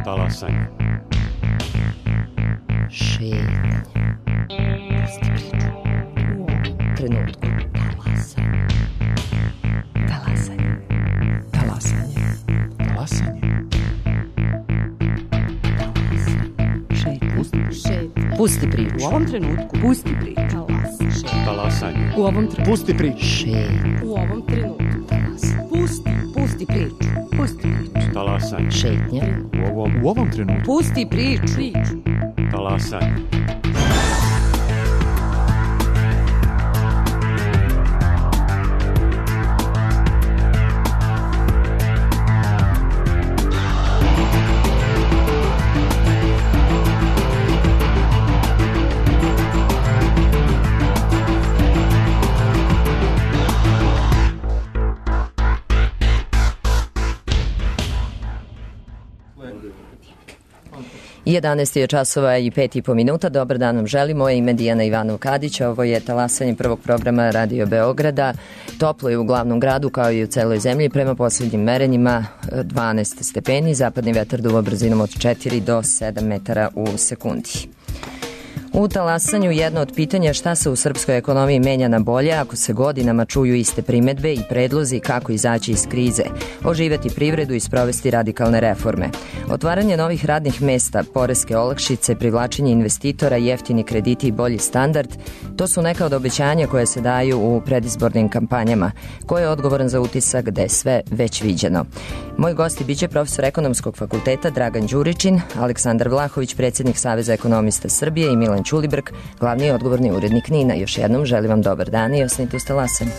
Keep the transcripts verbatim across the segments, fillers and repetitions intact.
Talasanje. Šetnje. Pusti priču. U ovom trenutku. Talasanje. Talasanje. Talasanje. Talasanje. Šetnje. Pusti priču. U ovom trenutku. Pusti priču. Talasanje. U ovom trenutku. Pusti priču. Šetnje. U ovom trenutku. Talasanje. Pusti. Pusti priču. Pusti priču. Talasanje. Šetnje. U ovom, U ovom trenutku. Pusti priču. Priču. talasanje. jedanaest je časova i pet i po minuta. Dobar dan vam želim. Moje ime je Dijana Ivanov-Kadić. Ovo je talasanje prvog programa Radio Beograda. Toplo je u glavnom gradu kao i u celoj zemlji. Prema poslednjim merenjima dvanaest stepeni. Zapadni vetar duva brzinom od četiri do sedam metara u sekundi. U talasanju jedno od pitanja šta se u srpskoj ekonomiji menja na bolje ako se godinama čuju iste primetbe i predlozi kako izaći iz krize, oživeti privredu i sprovesti radikalne reforme. Otvaranje novih radnih mesta, poreske olakšice, privlačenje investitora, jeftini krediti i bolji standard, to su neka od obećanja koje se daju u predizbornim kampanjama. Ko je odgovoran za utisak da je sve već viđeno? Moj gosti biće profesor Ekonomskog fakulteta Dragan Đuričin, Aleksandar Vlahović, predsjednik Saveza ekonomista Srbije i Milan Ćulibrk, glavni i odgovorni urednik Nina. Još jednom želim vam dobar dan i ostanite uz talasanjem.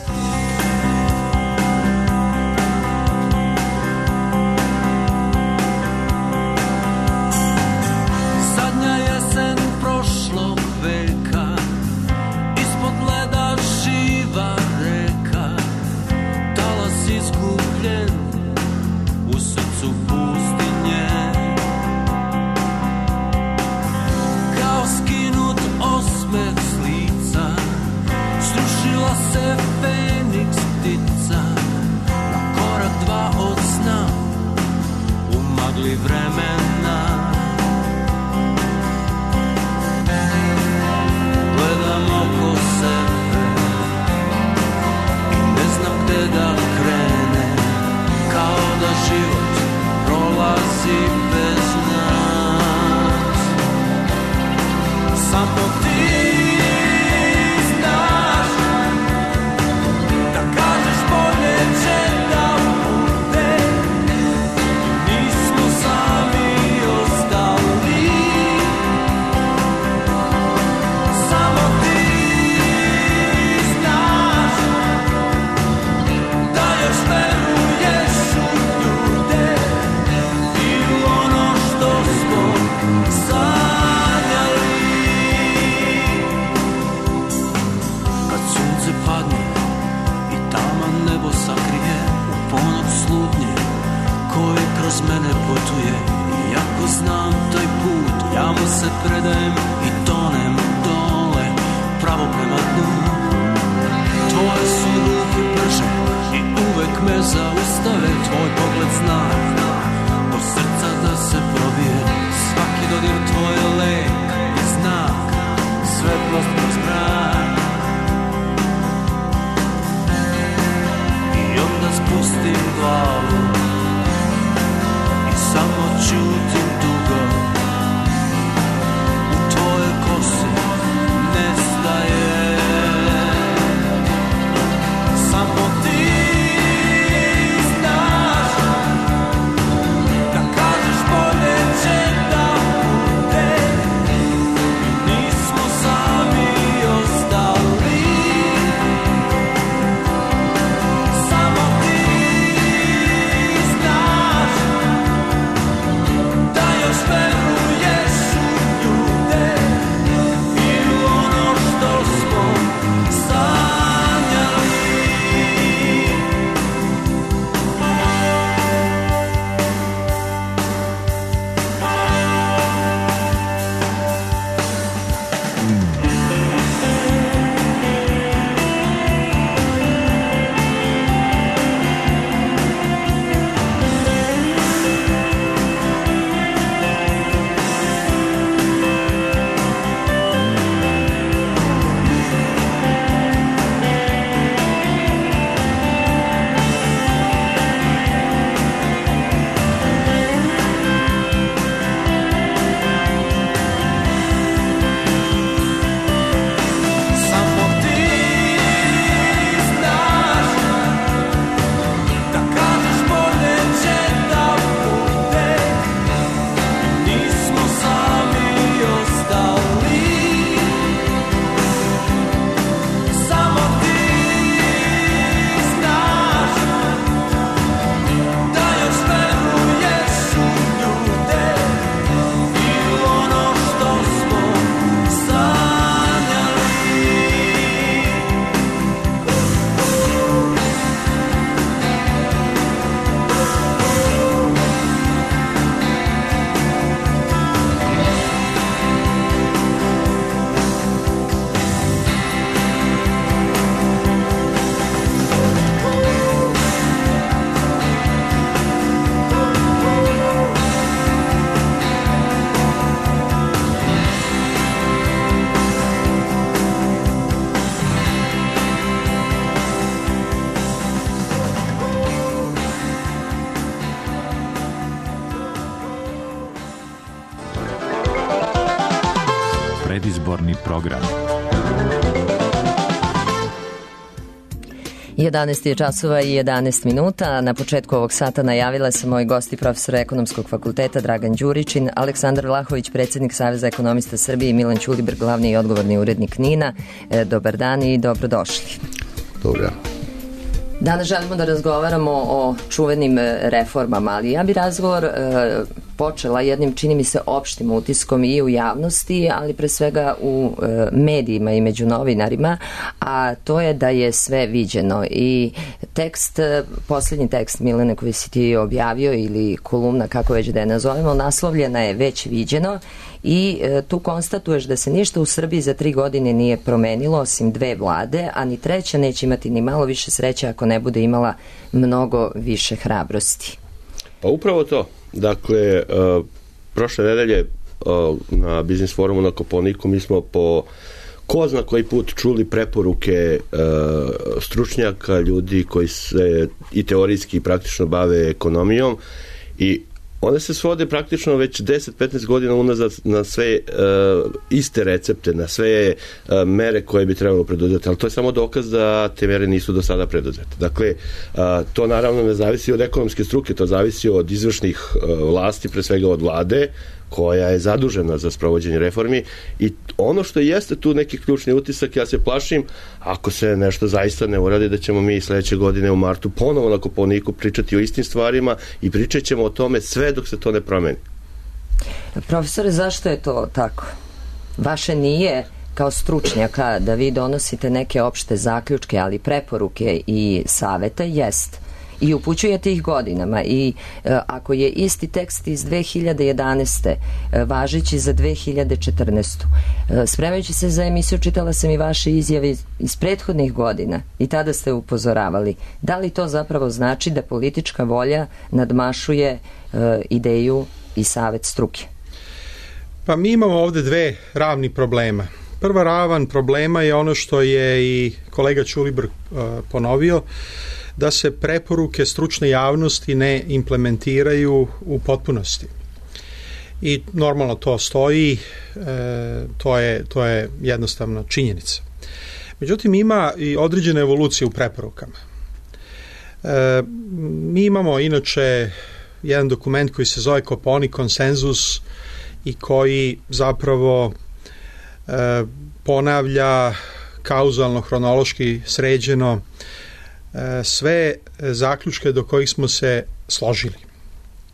Još program. jedanaest je časova i jedanaest minuta. Na početku ovog sata najavila sam moji gosti profesor Ekonomskog fakulteta Dragan Đuričin, Aleksandar Vlahović, predsjednik Saveza ekonomista Srbije i Milan Ćulibrk, glavni i odgovorni urednik NIN-a. E, dobar dan i dobrodošli. Dobar. Danas želimo da razgovaramo o čuvenim reformama, ali ja bi razgovor e, počela jednim, čini mi se, opštim utiskom i u javnosti, ali pre svega u e, medijima i među novinarima, a to je da je sve viđeno. I tekst, posljednji tekst Milene koji si ti objavio, ili kolumna, kako već da je nazovemo, naslovljena je Već viđeno, i e, tu konstatuješ da se ništa u Srbiji za tri godine nije promenilo osim dve vlade, a ni treća neće imati ni malo više sreće ako ne bude imala mnogo više hrabrosti. Pa upravo to. Dakle, uh, prošle nedelje uh, na Biznis forumu na Kopaoniku mi smo po ko zna koji put čuli preporuke uh, stručnjaka, ljudi koji se i teorijski i praktično bave ekonomijom, i one se svode praktično već deset do petnaest godina unazad na sve uh, iste recepte, na sve uh, mere koje bi trebalo preduzeti, ali to je samo dokaz da te mere nisu do sada preduzete. Dakle, uh, to naravno ne zavisi od ekonomske struke, to zavisi od izvršnih uh, vlasti, pre svega od vlade, koja je zadužena za sprovođenje reformi, i ono što jeste tu neki ključni utisak, ja se plašim, ako se nešto zaista ne uradi, da ćemo mi sledeće godine u martu ponovo na Kopaoniku pričati o istim stvarima i pričat ćemo o tome sve dok se to ne promeni. Profesore, zašto je to tako? Vaše nije kao stručnjaka da vi donosite neke opšte zaključke, ali preporuke i savete jest. I upućujete ih godinama, i e, ako je isti tekst iz dve hiljade jedanaeste e, važeći za dve hiljade četrnaestu. E, spremajući se za emisiju čitala sam i vaše izjave iz, iz prethodnih godina i tada ste upozoravali. Da li to zapravo znači da politička volja nadmašuje e, ideju i savet struke? Pa mi imamo ovde dve ravni problema. Prva ravan problema je ono što je i kolega Ćulibrk uh, ponovio, da se preporuke stručne javnosti ne implementiraju u potpunosti. I normalno to stoji, e, to je, to je jednostavno činjenica. Međutim, ima i određene evolucije u preporukama. E, mi imamo inače jedan dokument koji se zove Kopaonik konsenzus i koji zapravo e, ponavlja kauzalno, hronološki sređeno sve zaključke do kojih smo se složili.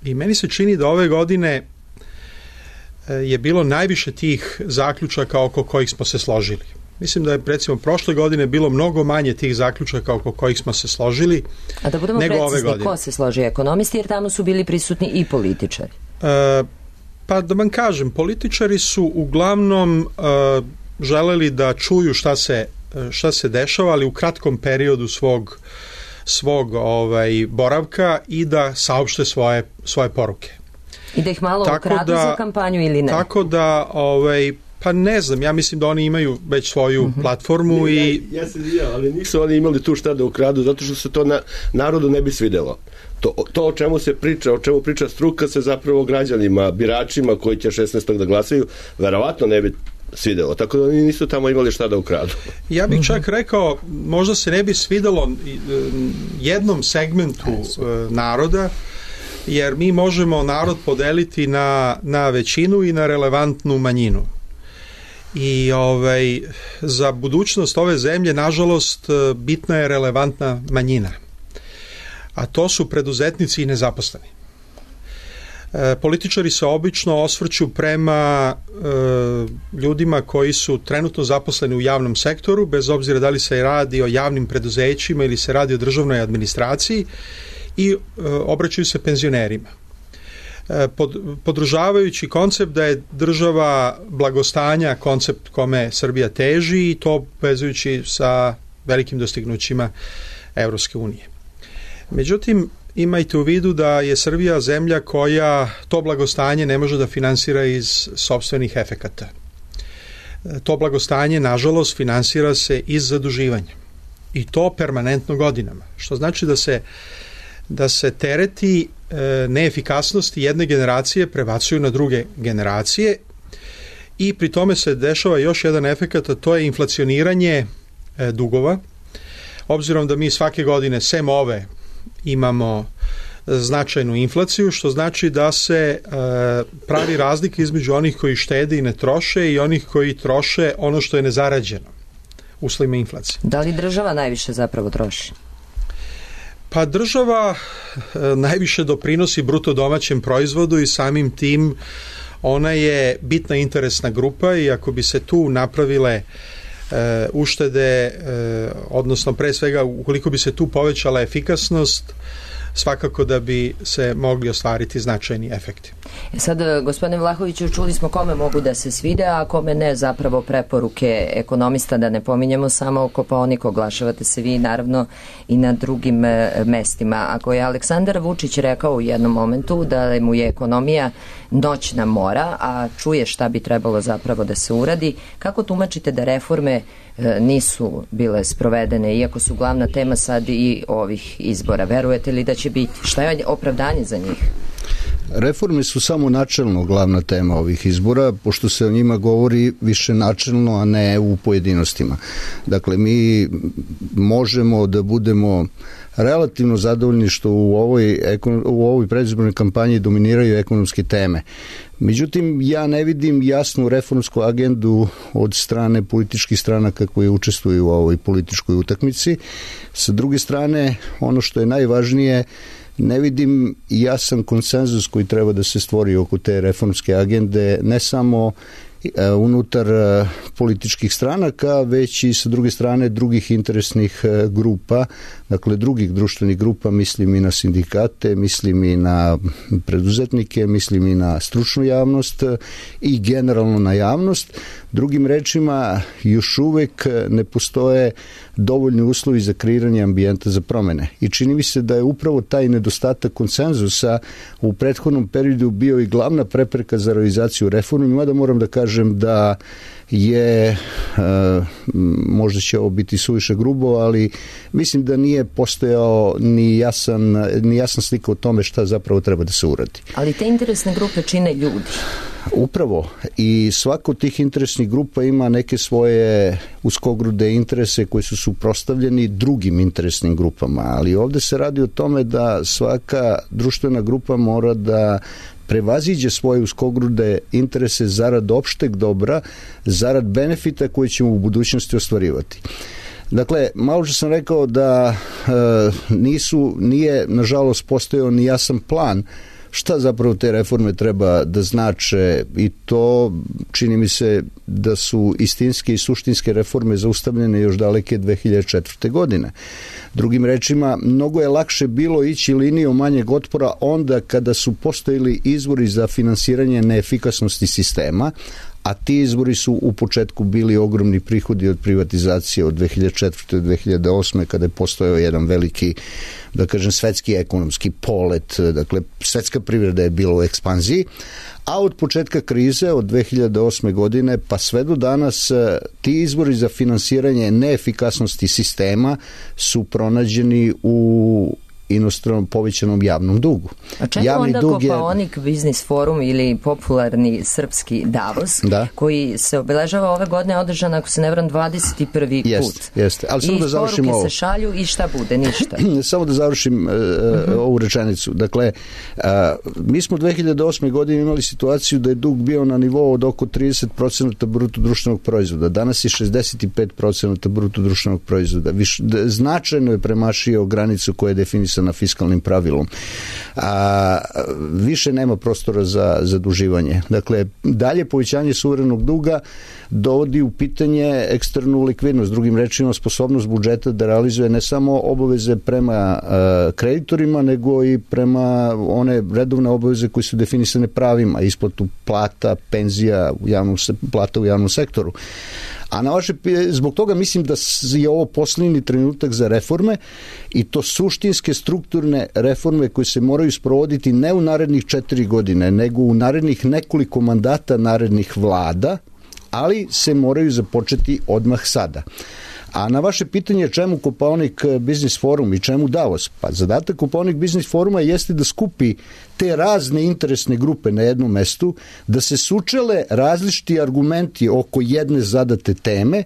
I meni se čini da ove godine je bilo najviše tih zaključaka oko kojih smo se složili. Mislim da je, recimo, prošle godine bilo mnogo manje tih zaključaka oko kojih smo se složili. A da budemo nego precizni, ove godine. Ko se složi? Ekonomisti, jer tamo su bili prisutni i političari. E, pa da vam kažem, političari su uglavnom e, želeli da čuju šta se šta se dešava, ali u kratkom periodu svog, svog ovaj, boravka, i da saopšte svoje, svoje poruke. I da ih malo tako ukradu da, za kampanju ili ne? Tako da, ovaj, pa ne znam, ja mislim da oni imaju već svoju uh-huh. platformu. Ne, i ja, ja se izvinjam, ali nisu oni imali tu šta da ukradu, zato što se to na, narodu ne bi svidelo. To, to o čemu se priča, o čemu priča struka, se zapravo građanima, biračima koji će šesnaestog da glasaju, verovatno ne bi svidelo, tako da oni nisu tamo imali šta da ukradu. Ja bih čak rekao, možda se ne bi svidelo jednom segmentu naroda, jer mi možemo narod podeliti na, na većinu i na relevantnu manjinu. I ovaj, za budućnost ove zemlje, nažalost, bitna je relevantna manjina. A to su preduzetnici i nezaposleni. E, političari se obično osvrću prema e, ljudima koji su trenutno zaposleni u javnom sektoru, bez obzira da li se radi o javnim preduzećima ili se radi o državnoj administraciji, i e, obraćaju se penzionerima. E, pod, podržavajući koncept da je država blagostanja koncept kome Srbija teži, i to vezujući sa velikim dostignućima Evropske unije. Međutim, imajte u vidu da je Srbija zemlja koja to blagostanje ne može da finansira iz sopstvenih efekata. To blagostanje, nažalost, finansira se iz zaduživanja. I to permanentno godinama. Što znači da se, da se tereti e, neefikasnosti jedne generacije prebacuju na druge generacije, i pri tome se dešava još jedan efekat, a to je inflacioniranje e, dugova. Obzirom da mi svake godine, sem ove, imamo značajnu inflaciju, što znači da se e, pravi razlika između onih koji štede i ne troše i onih koji troše ono što je nezarađeno uslovima inflacije. Da li država najviše zapravo troši? Pa država e, najviše doprinosi bruto domaćem proizvodu i samim tim ona je bitna interesna grupa i ako bi se tu napravile e, uštede, e, odnosno pre svega ukoliko bi se tu povećala efikasnost, svakako da bi se mogli ostvariti značajni efekti. E sad, gospodine Vlahoviću, čuli smo kome mogu da se svide, a kome ne, zapravo preporuke ekonomista, da ne pominjemo samo Kopaonik, oglašavate se vi naravno i na drugim e, mestima. Ako je Aleksandar Vučić rekao u jednom momentu da mu je ekonomija noćna mora, a čuje šta bi trebalo zapravo da se uradi, kako tumačite da reforme e, nisu bile sprovedene, iako su glavna tema sad i ovih izbora? Verujete li da će biti? Šta je opravdanje za njih? Reforme su samo načelno glavna tema ovih izbora, pošto se o njima govori više načelno, a ne u pojedinostima. Dakle, mi možemo da budemo relativno zadovoljni što u ovoj, u ovoj predizbornoj kampanji dominiraju ekonomske teme. Međutim, ja ne vidim jasnu reformsku agendu od strane političkih stranaka koje učestvuju u ovoj političkoj utakmici. Sa druge strane, ono što je najvažnije, ne vidim jasan konsenzus koji treba da se stvori oko te reformske agende, ne samo unutar političkih stranaka, već i sa druge strane drugih interesnih grupa, dakle drugih društvenih grupa, mislim i na sindikate, mislim i na preduzetnike, mislim i na stručnu javnost i generalno na javnost. Drugim rečima, još uvek ne postoje dovoljni uslovi za kreiranje ambijenta za promene. I čini mi se da je upravo taj nedostatak konsenzusa u prethodnom periodu bio i glavna prepreka za realizaciju reformi, mada moram da kažem da je, možda će ovo biti suviše grubo, ali mislim da nije postojao ni jasan, ni jasan slika o tome šta zapravo treba da se uradi. Ali te interesne grupe čine ljudi. Upravo. I svako od tih interesnih grupa ima neke svoje uskogrude interese koji su suprotstavljeni drugim interesnim grupama, ali ovde se radi o tome da svaka društvena grupa mora da prevaziđe svoje uskogrude interese zarad opšteg dobra, zarad benefita koje ćemo u budućnosti ostvarivati. Dakle, malo što sam rekao da e, nisu, nije nažalost postojao ni jasan plan šta zapravo te reforme treba da znače, i to čini mi se da su istinske i suštinske reforme zaustavljene još daleke dve hiljade četvrte. godine. Drugim rečima, mnogo je lakše bilo ići linijom manjeg otpora onda kada su postojili izvori za finansiranje neefikasnosti sistema, a ti izvori su u početku bili ogromni prihodi od privatizacije od dve hiljade četvrte. do dve hiljade osme. kada je postojao jedan veliki, da kažem, svetski ekonomski polet, dakle svetska privreda je bila u ekspanziji, a od početka krize od dve hiljade osme. godine pa sve do danas ti izvori za finansiranje neefikasnosti sistema su pronađeni u inostranom povećanom javnom dugu. A čemu Javni onda dug je... Kopaonik biznis forum ili popularni srpski Davos, da, koji se obeležava ove godine, održan, ako se ne varam, dvadeset prvi jest, put. Jeste, ali samo I da završim ovo. I poruke se šalju i šta bude? Ništa. Samo da završim uh, uh-huh. ovu rečenicu. Dakle, uh, mi smo dve hiljade osme. godine imali situaciju da je dug bio na nivou od oko trideset procenata bruto društvenog proizvoda. Danas je šezdeset pet procenata bruto društvenog proizvoda. Viš, značajno je premašio granicu koja je definisana na fiskalnim pravilom. A, više nema prostora za zaduživanje. Dakle, dalje povećanje suverenog duga dovodi u pitanje eksternu likvidnost, drugim rečima sposobnost budžeta da realizuje ne samo obaveze prema a, kreditorima, nego i prema one redovne obaveze koje su definisane pravima, isplatu plata, penzija, u javnom, plata u javnom sektoru. A na vaše, zbog toga mislim da je ovo posljednji trenutak za reforme, i to suštinske strukturne reforme koje se moraju sprovoditi ne u narednih četiri godine, nego u narednih nekoliko mandata narednih vlada, ali se moraju započeti odmah sada. A na vaše pitanje čemu Kopaonik Biznis Forum i čemu Davos? Pa zadatak Kopaonik Biznis Foruma jeste da skupi te razne interesne grupe na jednom mestu, da se sučele različiti argumenti oko jedne zadate teme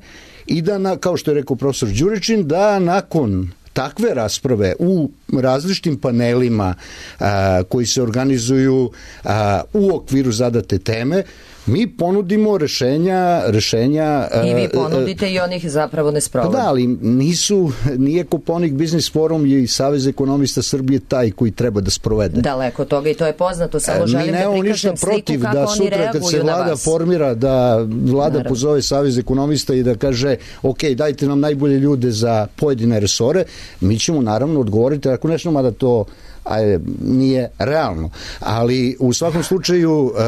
i da, na, kao što je rekao profesor Đuričin, da nakon takve rasprave u različitim panelima a, koji se organizuju a, u okviru zadate teme, mi ponudimo rešenja... rešenja I vi ponudite uh, i onih zapravo ne sprovode. Da, ali nisu, nije Kopaonik Biznis Forum i Savez ekonomista Srbije taj koji treba da sprovede. Daleko od toga i to je poznato, samo želim da prikažem sliku kako da oni reaguju na vas. Kad se vlada formira, da vlada Naravno. pozove Savez ekonomista i da kaže, ok, dajte nam najbolje ljude za pojedine resore, mi ćemo naravno odgovoriti, ako nešto, mada to ajde, nije realno. Ali u svakom slučaju e,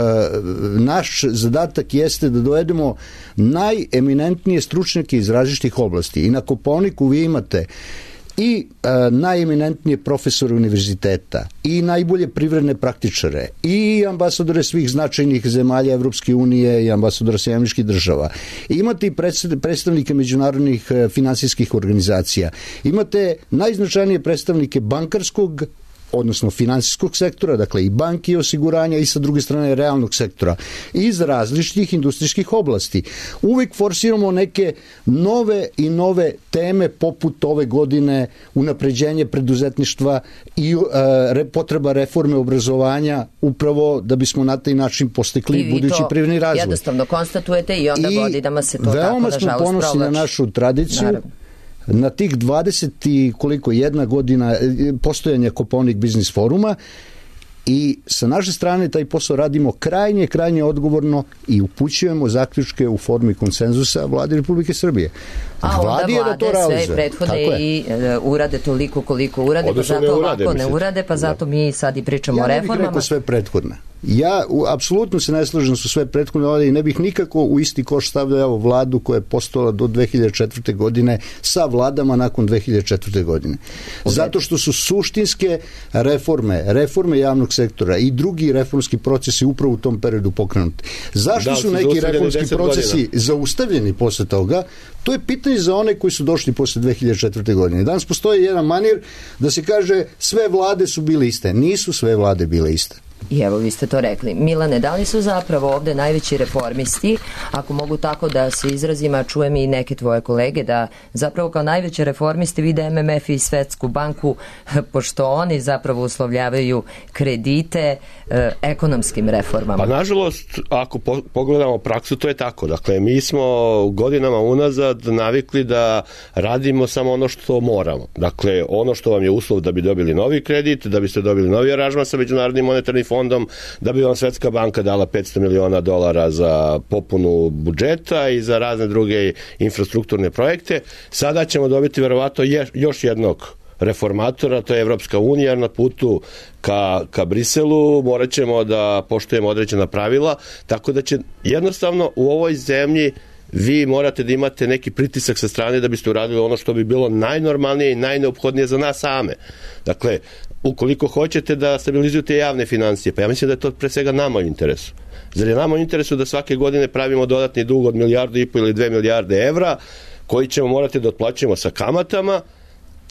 naš zadatak jeste da dovedemo najeminentnije stručnjake iz različitih oblasti. I na Kopaoniku vi imate i e, najeminentnije profesore univerziteta, i najbolje privredne praktičare, i ambasadore svih značajnih zemalja Evropske unije i ambasadora Sjedinjenih Američkih Država. I imate i predstavnike međunarodnih e, finansijskih organizacija. Imate najznačajnije predstavnike bankarskog, odnosno finansijskog sektora, dakle i banki i osiguranja, i sa druge strane realnog sektora, iz različitih industrijskih oblasti. Uvek forsiramo neke nove i nove teme, poput ove godine unapređenje preduzetništva i e, potreba reforme obrazovanja, upravo da bismo na taj način postekli budući privredni razvoj. Jednostavno konstatujete i onda godinama se to tako, veoma nažalost, smo ponosni na našu tradiciju. Naravno. Na tih dvadeset i koliko jedna godina postojanja Kopaonik Biznis Foruma, i sa naše strane taj posao radimo krajnje, krajnje odgovorno i upućujemo zaključke u formi konsenzusa Vladi Republike Srbije. A Vladi onda vlade da sve prethode i uh, urade toliko koliko urade, Odnosno pa zato ne urade, ovako ne mislim. urade, pa zato da. mi sad i pričamo ja o reformama. Ja ne bih rekao sve prethodne. Ja u, apsolutno se ne slažem su sve prethodne vlade i ne bih nikako u isti koš stavljao vladu koja je postojala do dve hiljade četvrte. godine sa vladama nakon dve hiljade četvrte. godine. Zato što su suštinske reforme, reforme javnog sektora i drugi reformski procesi upravo u tom periodu pokrenuti. Zašto da, su neki reformski procesi godina. zaustavljeni posle toga? To je pitanje za one koji su došli posle dve hiljade četvrte. godine. Danas postoji jedan manir da se kaže sve vlade su bile iste. Nisu sve vlade bile iste. I evo, vi ste to rekli. Milane, da li su zapravo ovde najveći reformisti, ako mogu tako da se izrazim, a čujem i neke tvoje kolege, da zapravo kao najveće reformisti vide M M F i Svetsku banku, pošto oni zapravo uslovljavaju kredite eh, ekonomskim reformama? Pa nažalost, ako po, pogledamo praksu, to je tako. Dakle, mi smo godinama unazad navikli da radimo samo ono što moramo. Dakle, ono što vam je uslov da bi dobili novi kredit, da biste dobili novi aranžman sa Međunarodnim monetarnim fondom, da bi vam Svetska banka dala petsto miliona dolara za popunu budžeta i za razne druge infrastrukturne projekte. Sada ćemo dobiti verovatno još jednog reformatora, to je Evropska unija na putu ka, ka Briselu, morat ćemo da poštujemo određena pravila, tako da će jednostavno u ovoj zemlji vi morate da imate neki pritisak sa strane da biste uradili ono što bi bilo najnormalnije i najneophodnije za nas same. Dakle, ukoliko hoćete da stabilizujete javne financije, pa ja mislim da je to pre svega nama u interesu. Zar je nama u interesu da svake godine pravimo dodatni dug od milijardu i po ili dve milijarde evra, koji ćemo morati da otplaćujemo sa kamatama,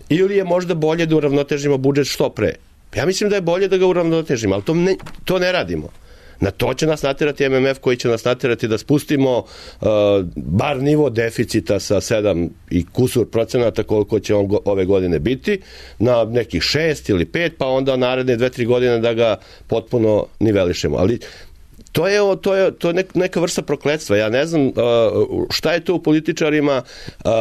ili je možda bolje da uravnotežimo budžet što pre? Ja mislim da je bolje da ga uravnotežimo, ali to ne, to ne radimo. Na to će nas naterati M M F, koji će nas naterati da spustimo uh, bar nivo deficita sa sedam i kusur procenata koliko će on go, ove godine biti, na nekih šest ili pet, pa onda naredne dve, tri godine da ga potpuno nivelišemo. Ali to je, to je, to je neka vrsta prokletstva. Ja ne znam uh, šta je to u političarima, uh,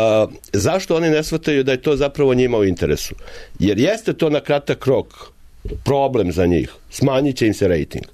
zašto oni ne shvataju da je to zapravo njima u interesu. Jer jeste to na kratak rok problem za njih. Smanjit će im se rejting.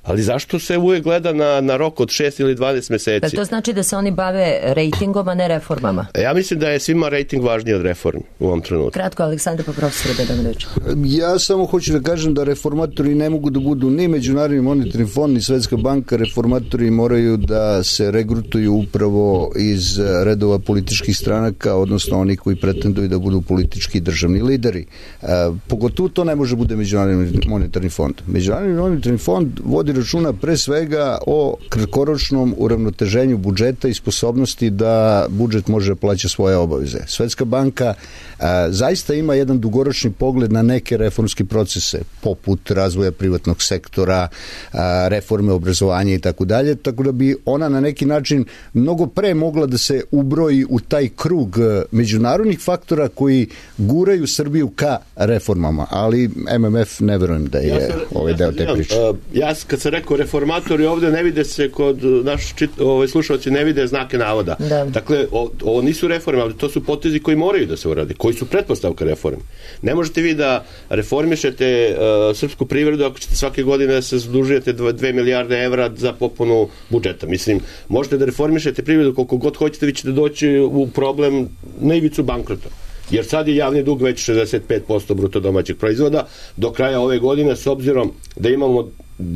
Ali zašto se uvijek gleda na, na rok od šest ili dvanaest meseci? Da to znači da se oni bave rejtingom, a ne reformama? Ja mislim da je svima rejting važniji od reformi u ovom trenutku. Kratko, Aleksandar, pa profesor, da dam reč. Ja samo hoću da kažem da reformatori ne mogu da budu ni Međunarodni monetarni fond, ni Svetska banka. Reformatori moraju da se regrutuju upravo iz redova političkih stranaka, odnosno oni koji pretenduju da budu politički državni lideri. E, pogotovo to ne može bude Međunarodni monetarni fond. Međunarodni monetarni fond vodi računa pre svega o kratkoročnom uravnoteženju budžeta i sposobnosti da budžet može plaća svoje obaveze. Svetska banka a, zaista ima jedan dugoročni pogled na neke reformske procese, poput razvoja privatnog sektora, a, reforme obrazovanja i tako dalje, tako da bi ona na neki način mnogo pre mogla da se ubroji u taj krug međunarodnih faktora koji guraju Srbiju ka reformama, ali M M F ne verujem da je ja sam, ovaj ja deo te priče. Uh, ja kad sam rekao reformatori ovde ne vide se kod naš čit, ovaj, slušalci ne vide znake navoda. Da. Dakle, o, ovo nisu reforme, ali to su potezi koji moraju da se urade, koji su pretpostavka reforme. Ne možete vi da reformišete uh, srpsku privredu ako ćete svake godine da se zadužujete dve milijarde evra za popunu budžeta. Mislim, možete da reformišete privredu koliko god hoćete, vi ćete doći u problem na ivicu bankrota. Jer sad je javni dug već šezdeset pet posto bruto domaćeg proizvoda. Do kraja ove godine, s obzirom da imamo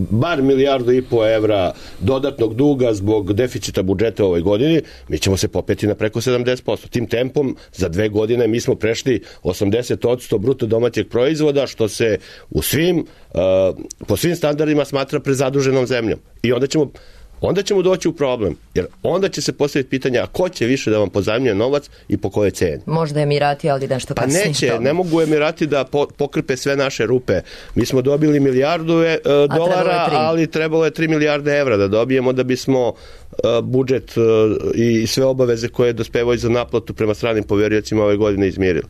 bar milijardu i po evra dodatnog duga zbog deficita budžeta u ovoj godini, mi ćemo se popeti na preko sedamdeset posto. Tim tempom za dve godine mi smo prešli osamdeset posto bruto domaćeg proizvoda, što se u svim, uh, po svim standardima smatra prezaduženom zemljom. I onda ćemo onda ćemo doći u problem, jer onda će se postaviti pitanje, a ko će više da vam pozajmljuje novac i po kojoj ceni? Možda Emirati, ali nešto kasnije. Pa neće, ne mogu Emirati da po, pokrpe sve naše rupe. Mi smo dobili milijardu e, dolara, ali trebalo je tri milijarde evra da dobijemo da bismo e, budžet e, i sve obaveze koje dospevaju za naplatu prema stranim poveriocima ove godine izmirili.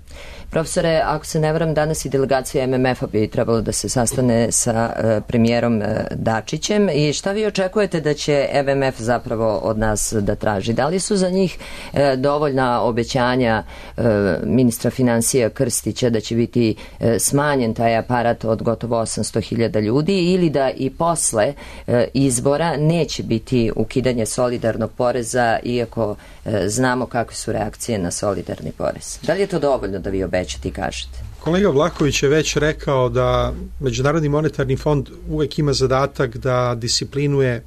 Profesore, ako se ne varam, danas i delegacija M M F-a bi trebalo da se sastane sa uh, premijerom uh, Dačićem i šta vi očekujete da će M M F zapravo od nas da traži? Da li su za njih uh, dovoljna obećanja uh, ministra finansija Krstića da će biti uh, smanjen taj aparat od gotovo osamsto hiljada ljudi ili da i posle uh, izbora neće biti ukidanje solidarnog poreza iako uh, znamo kakve su reakcije na solidarni porez? Da li je to dovoljno da vi obećate? Ćete kažete. Kolega Vlahović je već rekao da Međunarodni monetarni fond uvek ima zadatak da disciplinuje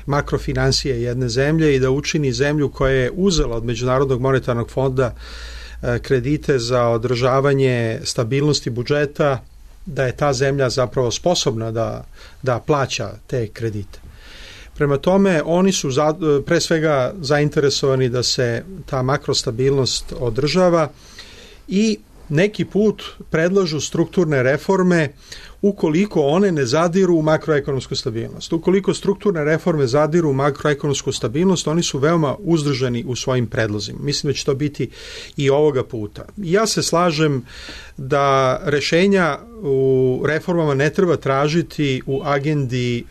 makrofinansije jedne zemlje i da učini zemlju koja je uzela od Međunarodnog monetarnog fonda kredite za održavanje stabilnosti budžeta, da je ta zemlja zapravo sposobna da, da plaća te kredite. Prema tome, oni su za, pre svega zainteresovani da se ta makrostabilnost održava i neki put predlažu strukturne reforme ukoliko one ne zadiru u makroekonomsku stabilnost. Ukoliko strukturne reforme zadiru u makroekonomsku stabilnost, oni su veoma uzdržani u svojim predlozima. Mislim da će to biti i ovoga puta. Ja se slažem da rešenja u reformama ne treba tražiti u agendi e,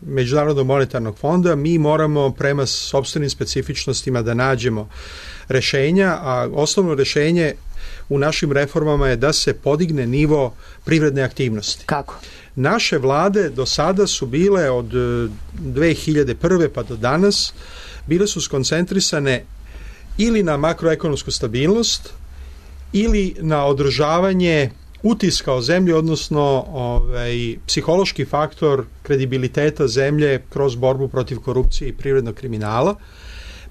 Međunarodnog monetarnog fonda. Mi moramo prema sopstvenim specifičnostima da nađemo rešenja, a osnovno rešenje u našim reformama je da se podigne nivo privredne aktivnosti. Kako? Naše vlade do sada su bile od dve hiljade prve pa do danas, bile su skoncentrisane ili na makroekonomsku stabilnost ili na održavanje utiska o zemlji, odnosno ovaj, psihološki faktor kredibiliteta zemlje kroz borbu protiv korupcije i privrednog kriminala.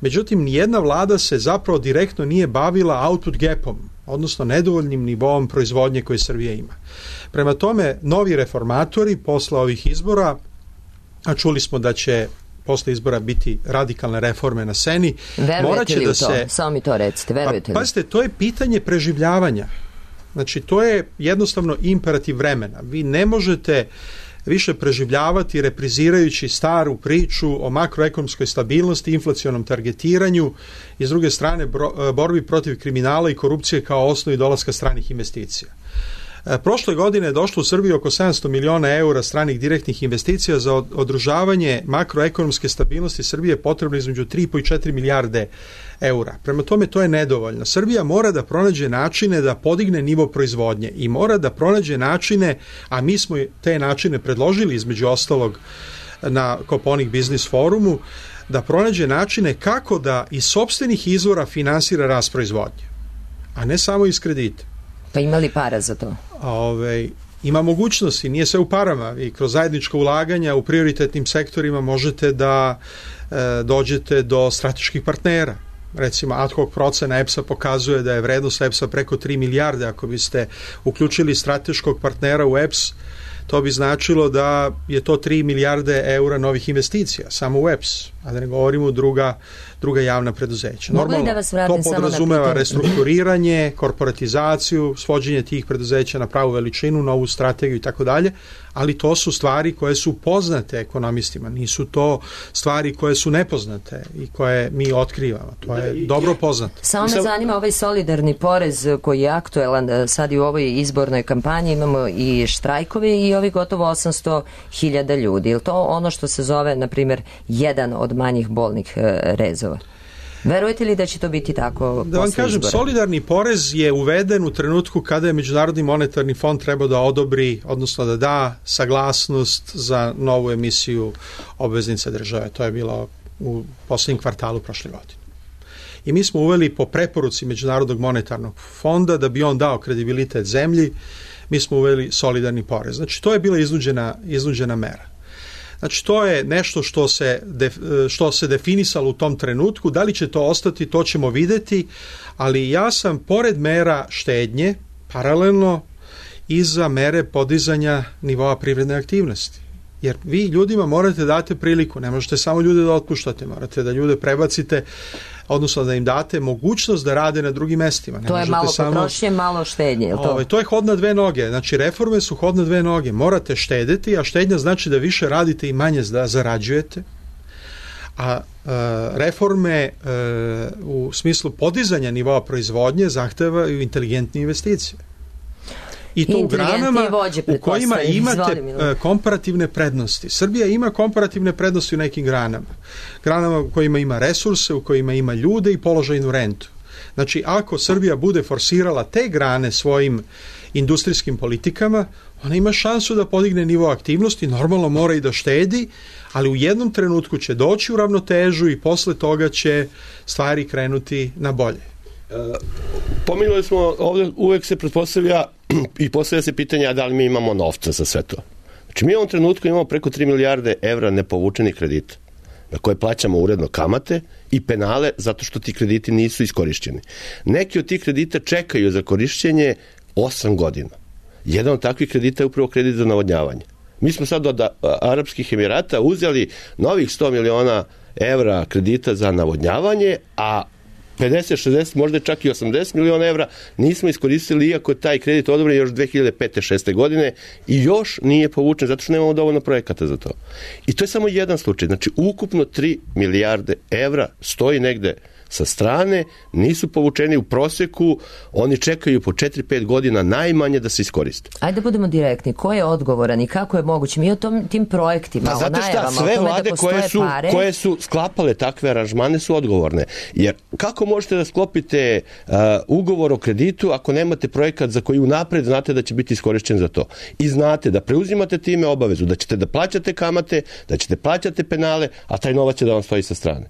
Međutim, nijedna vlada se zapravo direktno nije bavila output gapom, odnosno nedovoljnim nivoom proizvodnje koje Srbija ima. Prema tome, novi reformatori posle ovih izbora, a čuli smo da će posle izbora biti radikalne reforme na sceni, verujete li da u to? Se... Samo mi to recite, verujete pa, li? Pazite, to je pitanje preživljavanja. Znači, to je jednostavno imperativ vremena. Vi ne možete više preživljavati reprizirajući staru priču o makroekonomskoj stabilnosti, inflacionom targetiranju i s druge strane borbi protiv kriminala i korupcije kao osnovi dolaska stranih investicija. Prošle godine je došlo u Srbiji oko sedamsto miliona eura stranih direktnih investicija. Za održavanje makroekonomske stabilnosti Srbije je potrebno između tri i po i četiri milijarde eura. Prema tome, to je nedovoljno. Srbija mora da pronađe načine da podigne nivo proizvodnje i mora da pronađe načine, a mi smo te načine predložili između ostalog na Koponik Biznis forumu, da pronađe načine kako da iz sopstvenih izvora finansira rast proizvodnje, a ne samo iz kredita. Pa ima li para za to? Ove, ima mogućnosti, nije sve u parama. I kroz zajednička ulaganja u prioritetnim sektorima možete da e, dođete do strateških partnera. Recimo, ad hoc procena E P S-a pokazuje da je vrednost E P S-a preko tri milijarde. Ako biste uključili strateškog partnera u E P S, to bi značilo da je to tri milijarde eura novih investicija, samo u E P S, a da ne govorimo druga, druga javna preduzeća. Normalno, da vas to podrazumeva restrukturiranje, korporatizaciju, svođenje tih preduzeća na pravu veličinu, novu strategiju i tako dalje, ali to su stvari koje su poznate ekonomistima, nisu to stvari koje su nepoznate i koje mi otkrivamo. To je dobro poznato. Samo me zanima ovaj solidarni porez koji je aktuelan sad i u ovoj izbornoj kampanji, imamo i štrajkove i ovih gotovo osamsto hiljada ljudi. Je li to ono što se zove, na primjer, jedan od manjih bolnih rezova? Verujete li da će to biti tako? Da vam kažem, izbora? Solidarni porez je uveden u trenutku kada je Međunarodni monetarni fond trebao da odobri, odnosno da da saglasnost za novu emisiju obveznica države. To je bilo u poslednjem kvartalu prošle godine. I mi smo uveli po preporuci Međunarodnog monetarnog fonda da bi on dao kredibilitet zemlji, mi smo uveli solidarni porez. Znači, to je bila iznuđena, iznuđena mera. Znači, to je nešto što se, def, što se definisalo u tom trenutku. Da li će to ostati, to ćemo videti, ali ja sam, pored mera štednje, paralelno i za mere podizanja nivoa privredne aktivnosti. Jer vi ljudima morate dati priliku, ne možete samo ljude da otpuštate, morate da ljude prebacite, odnosno da im date mogućnost da rade na drugim mestima. Ne to je malo samo, potrošnje, malo štednje. Je li to? Ove, to je hod na dve noge. Znači, reforme su hod na dve noge. Morate štedeti, a štednja znači da više radite i manje da zarađujete. A e, reforme e, u smislu podizanja nivoa proizvodnje zahtevaju inteligentne investicije. I to u granama u kojima imate komparativne prednosti. Srbija ima komparativne prednosti u nekim granama. Granama u kojima ima resurse, u kojima ima ljude i položajnu rentu. Znači, ako Srbija bude forsirala te grane svojim industrijskim politikama, ona ima šansu da podigne nivo aktivnosti, normalno mora i da štedi, ali u jednom trenutku će doći u ravnotežu i posle toga će stvari krenuti na bolje. E, pominjali smo, ovdje uvek se pretpostavlja i postavlja se pitanja da li mi imamo novca za sve to. Znači, mi u ovom trenutku imamo preko tri milijarde evra nepovučenih kredita na koje plaćamo uredno kamate i penale zato što ti krediti nisu iskorišćeni. Neki od tih kredita čekaju za korišćenje osam godina. Jedan od takvih kredita je upravo kredit za navodnjavanje. Mi smo sad od Arapskih Emirata uzeli novih sto miliona evra kredita za navodnjavanje, a pedeset, šezdeset, možda čak i osamdeset miliona evra nismo iskoristili, iako je taj kredit odobren još dve hiljade pete šeste godine i još nije povučen zato što nemamo dovoljno projekata za to. I to je samo jedan slučaj. Znači, ukupno tri milijarde evra stoji negde sa strane, nisu povučeni u proseku, oni čekaju po četiri pet godina najmanje da se iskoriste. Ajde da budemo direktni, ko je odgovoran i kako je moguće? Mi o tom, tim projektima, pa, o najavama, šta, sve o tome vlade da postoje koje su, pare... koje su sklapale takve aranžmane su odgovorne. Jer kako možete da sklopite uh, ugovor o kreditu ako nemate projekat za koji unapred znate da će biti iskorišćen za to? I znate da preuzimate time obavezu, da ćete da plaćate kamate, da ćete plaćate penale, a taj novac će da vam stoji sa strane.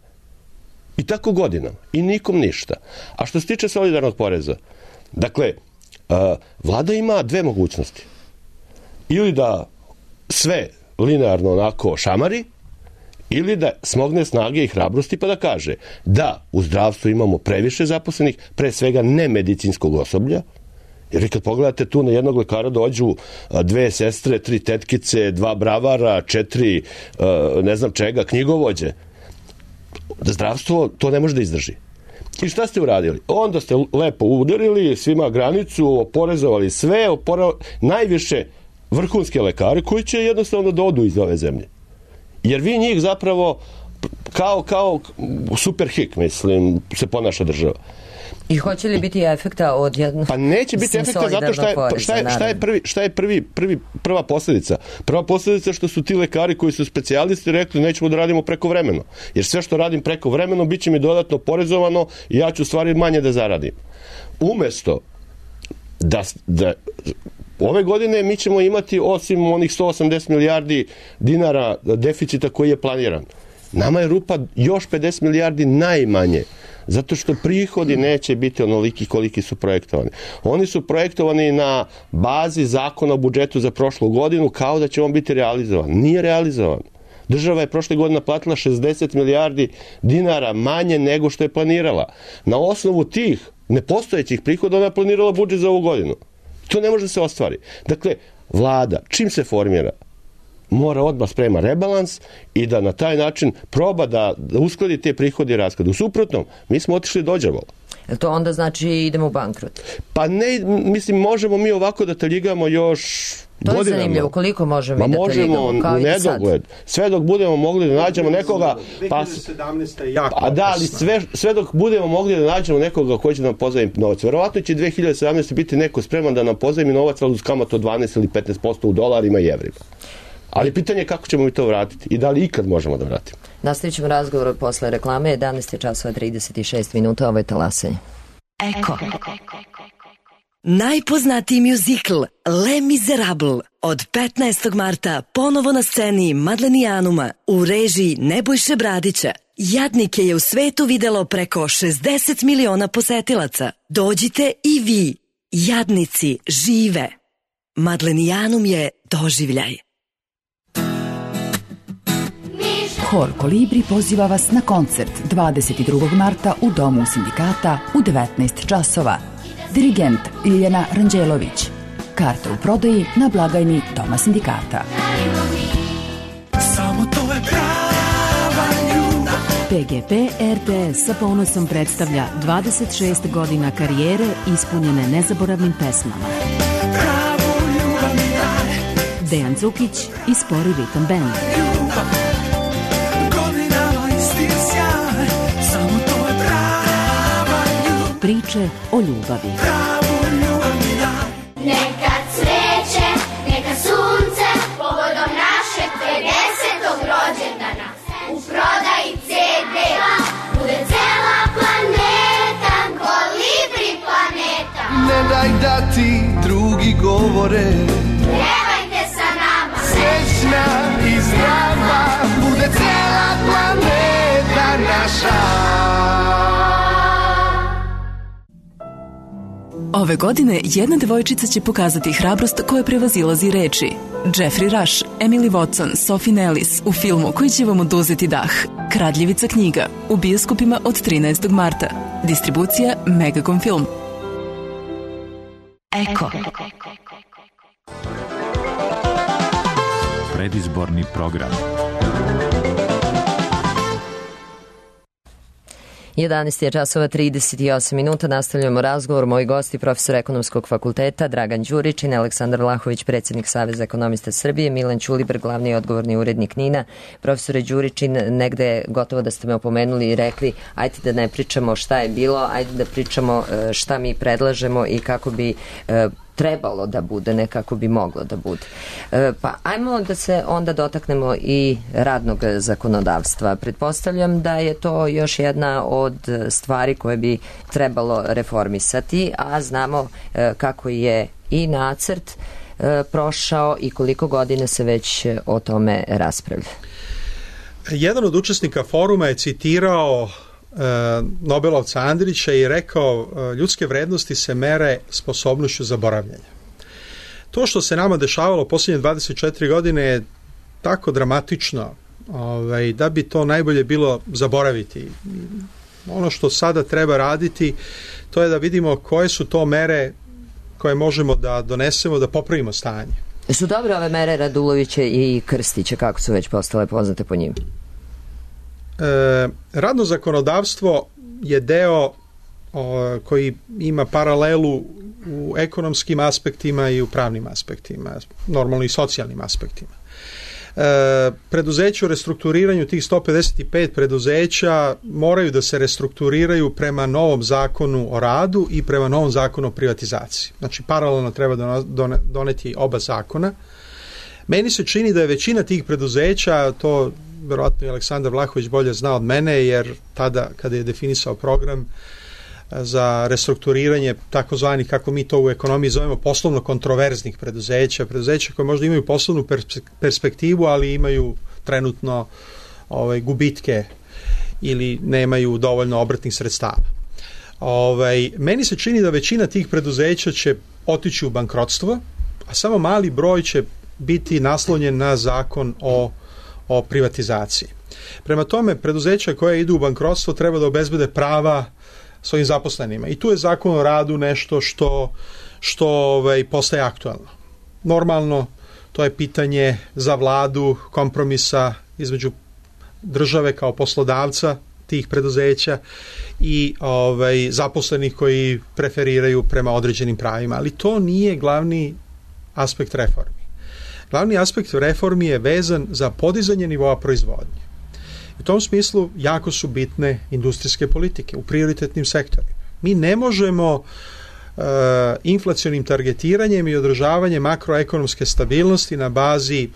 I tako godinama. I nikom ništa. A što se tiče solidarnog poreza, dakle, uh, vlada ima dve mogućnosti. Ili da sve linearno onako šamari, ili da smogne snage i hrabrosti pa da kaže da u zdravstvu imamo previše zaposlenih, pre svega nemedicinskog osoblja, jer vi kad pogledate tu na jednog lekara dođu dve sestre, tri tetkice, dva bravara, četiri uh, ne znam čega, knjigovođe, da zdravstvo to ne može da izdrži. I šta ste uradili? Onda ste lepo udarili svima granicu, oporezovali sve, opora... najviše vrhunske lekare koji će jednostavno da odu iz ove zemlje. Jer vi njih zapravo kao, kao super hik, mislim, se ponaša država. I hoće li biti efekta od jednog pa neće biti efekta zato šta je, poreza, šta je, šta je, prvi, šta je prvi, prvi, prva posljedica? Prva posljedica što su ti lekari koji su specijalisti rekli nećemo da radimo prekovremeno. Jer sve što radim prekovremeno bit će mi dodatno porezovano i ja ću stvari manje da zaradim. Umesto da, da ove godine mi ćemo imati osim onih sto osamdeset milijardi dinara deficita koji je planiran. Nama je rupa još pedeset milijardi najmanje. Zato što prihodi neće biti onoliki koliki su projektovani. Oni su projektovani na bazi zakona o budžetu za prošlu godinu kao da će on biti realizovan. Nije realizovan. Država je prošle godine platila šezdeset milijardi dinara manje nego što je planirala. Na osnovu tih nepostojećih prihoda ona je planirala budžet za ovu godinu. To ne može da se ostvari. Dakle, vlada, čim se formira, mora odmah sprema rebalans i da na taj način proba da, da uskladi te prihode i rashode. U suprotnom, mi smo otišli do đavola. Jel to onda znači idemo u bankrot? Pa ne, mislim, možemo mi ovako da taljigamo još to godinama. To je zanimljivo, koliko možemo Ma i da možemo taljigamo, kao u i do nedogled. sad. Sve dok budemo mogli da nađemo nekoga... Pa, dve hiljade sedamnaeste je jako a da, ali sve, sve dok budemo mogli da nađemo nekoga koji će nam pozajmi novac. Verovatno će dve hiljade sedamnaeste biti neko spreman da nam pozajmi novac, ali uz kamatu od dvanaest ili petnaest posto u dolarima i evrima. Ali pitanje je kako ćemo mi to vratiti i da li ikad možemo da vratimo. Nastavit ćemo razgovor posle reklame. jedanaest časova trideset šest minuta, ovo je Talasanje. Eko. Najpoznatiji mjuzikl Les Miserables od petnaestog marta ponovo na sceni Madlenijanuma u režiji Nebojše Bradića. Jadnike je u svetu videlo preko šezdeset miliona posetilaca. Dođite i vi. Jadnici žive. Madlenijanum je doživljaj. Hor Kolibri poziva vas na koncert dvadeset drugog marta u Domu sindikata u devetnaest časova. Dirigent Ljiljana Ranđelović. Karte u prodaji na blagajni Doma sindikata. Samo to je prava ljubav. P G P R T S sa ponosom predstavlja dvadeset šest godina karijere ispunjene nezaboravnim pesmama. Pravu ljubav mi daj. Dejan Cukić i Spori Ritam Band. Ljubav, godinama isti sjaj. Samo to je prava ljubav. Priče o ljubavi. Pravu ljubav mi daj. Neka cveće, neka sunce, povodom našeg pedesetog rođendana. U prodaji C D bude cela planeta, Kolibri planeta. Ne daj da ti drugi govore, Pevajte sa nama, srećna i zdrava, bude cela planeta naša. Ove godine jedna devojčica će pokazati hrabrost koja prevazilazi reči. Jeffrey Rush, Emily Watson, Sophie Nellis u filmu koji će vam oduzeti dah. Kradljivica knjiga u bioskopima od trinaestog marta. Distribucija Megacom Film. Eko. Predizborni program. jedanaest časova trideset osam minuta, nastavljamo razgovor. Moji gosti, profesor ekonomskog fakulteta Dragan Đuričin, Aleksandar Vlahović, predsjednik Saveza ekonomista Srbije, Milan Ćulibrk, glavni odgovorni urednik NIN-a. Profesore Đuričin, negde gotovo da ste me opomenuli i rekli ajde da ne pričamo šta je bilo, ajde da pričamo šta mi predlažemo i kako bi trebalo da bude, ne kako bi moglo da bude. E, pa ajmo da se onda dotaknemo i radnog zakonodavstva. Pretpostavljam da je to još jedna od stvari koje bi trebalo reformisati, a znamo e, kako je i nacrt e, prošao i koliko godina se već o tome raspravlja. Jedan od učesnika foruma je citirao Nobelovca Andrića i rekao ljudske vrednosti se mere sposobnošću zaboravljanja. To što se nama dešavalo posljednje dvadeset četiri godine je tako dramatično ovaj, da bi to najbolje bilo zaboraviti. Ono što sada treba raditi to je da vidimo koje su to mere koje možemo da donesemo da popravimo stanje. Su dobre ove mere Radulovića i Krstića, kako su već postale poznate po njim? E, radno zakonodavstvo je deo o, koji ima paralelu u ekonomskim aspektima i u pravnim aspektima, normalno i socijalnim aspektima. E, preduzeća u restrukturiranju, tih sto pedeset pet preduzeća moraju da se restrukturiraju prema novom zakonu o radu i prema novom zakonu o privatizaciji. Znači paralelno treba doneti oba zakona. Meni se čini da je većina tih preduzeća, to verovatno i Aleksandar Vlahović bolje zna od mene, jer tada kada je definisao program za restrukturiranje takozvanih, kako mi to u ekonomiji zovemo, poslovno kontroverznih preduzeća, preduzeća koje možda imaju poslovnu perspektivu, ali imaju trenutno ovaj, gubitke ili nemaju dovoljno obrtnih sredstava. Ovaj, meni se čini da većina tih preduzeća će otići u bankrotstvo, a samo mali broj će biti naslonjen na zakon o, o privatizaciji. Prema tome, preduzeća koje idu u bankrotstvo treba da obezbede prava svojim zaposlenima. I tu je zakon o radu nešto što, što ovaj, postaje aktualno. Normalno, to je pitanje za vladu kompromisa između države kao poslodavca tih preduzeća i ovaj, zaposlenih koji preferiraju prema određenim pravima, ali to nije glavni aspekt reformi. Glavni aspekt reformi je vezan za podizanje nivoa proizvodnje. U tom smislu jako su bitne industrijske politike u prioritetnim sektorima. Mi ne možemo uh, inflacionim targetiranjem i održavanjem makroekonomske stabilnosti na bazi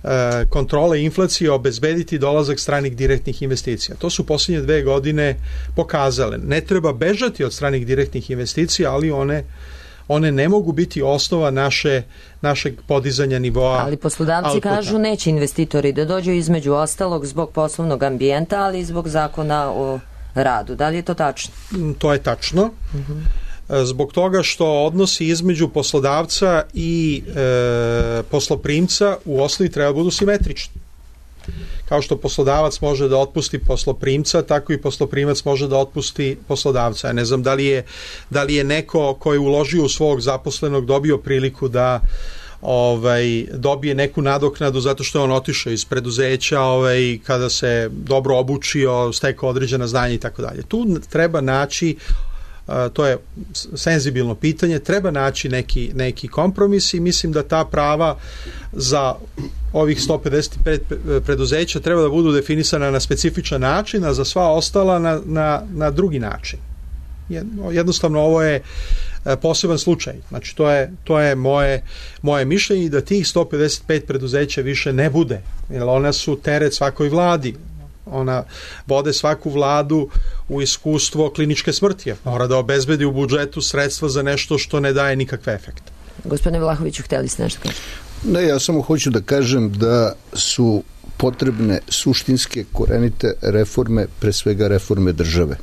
uh, kontrole inflacije obezbediti dolazak stranih direktnih investicija. To su posljednje dve godine pokazale. Ne treba bežati od stranih direktnih investicija, ali one one ne mogu biti osnova naše, našeg podizanja nivoa. Ali poslodavci outputa. Kažu neće investitori da dođu između ostalog zbog poslovnog ambijenta, ali i zbog zakona o radu. Da li je to tačno? To je tačno. Uh-huh. Zbog toga što odnosi između poslodavca i e, posloprimca u osnovi treba budu simetrični. Kao što poslodavac može da otpusti posloprimca, tako i posloprimac može da otpusti poslodavca. Ja ne znam da li je, da li je neko ko je uložio u svog zaposlenog dobio priliku da ovaj, dobije neku nadoknadu zato što je on otišao iz preduzeća ovaj, kada se dobro obučio, stekao određena znanja i tako dalje. Tu treba naći, to je senzibilno pitanje, treba naći neki, neki kompromis i mislim da ta prava za ovih sto pedeset pet preduzeća treba da budu definisana na specifičan način, a za sva ostala na, na, na drugi način. Jednostavno ovo je poseban slučaj. Znači to je, to je moje, moje mišljenje da tih sto pedeset pet preduzeća više ne bude, jer ona su teret svakoj vladi. Ona vode svaku vladu u iskustvo kliničke smrti. Mora da obezbedi u budžetu sredstva za nešto što ne daje nikakve efekte. Gospodine Vlahoviću, htjeli ste nešto kažete? Ne, ja samo hoću da kažem da su potrebne suštinske korenite reforme, pre svega reforme države.